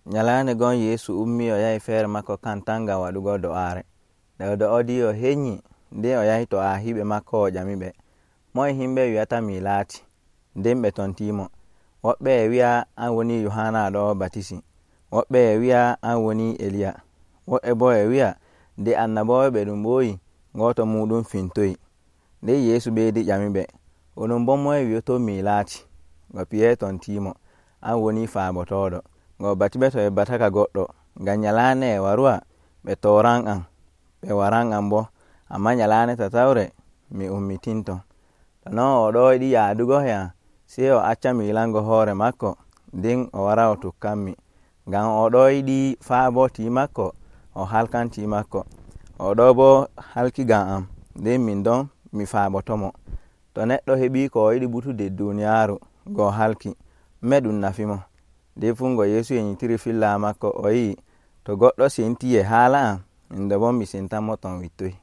Nyalande gon Yesu ummi o yahi feere makko kantan ngam waɗugo do'aare. Nde o do'odii o heƴƴi, nden o yahi to ardiiɓe makko o ƴamiɓe, moye himɓe wi'ata mi laati? Nden ɓe tontiimo. Woɓɓe e wi'a an woni Yohana ɗo batisi, woɓɓe e wi'a an woni Eliya, woɓɓe bo e wi'a nde annaboo'en ɓe ɗum ɓooyi gooto muɗum fintoyi. Nden Yeesu ɓeydi ƴamiɓe, onon boo moye wi'oton mi laati? Ngo piye tontiimo, an woni faabotooɗo. Ngo batiɓe to ɓe bataka goɗɗo, ngam nyalaande e waruwa ɓe tooran am, ɓe waran am boo, amma nyalaande tatawre mi ummitinto. To non o ɗo yiɗi yaadugo e am, sey o acca mi ilango hoore makko, nden o wara o tukkanmi. Ngam o ɗo yiɗi faabo tii makko, o halkan tii makko. O ɗo boo halki ngam am, nden min ɗon mi faabotomo. To neɗɗo heɓii ko o yiɗi ɓutude duuniyaaru ngo halki, ɗume ɗum nafi mo? Nden fuu ngo Yeesu yenyitiri filla makko o yi'i, to goɗɗo sentii e haala am, min ɗo boo mi sentanmo ton wittoy.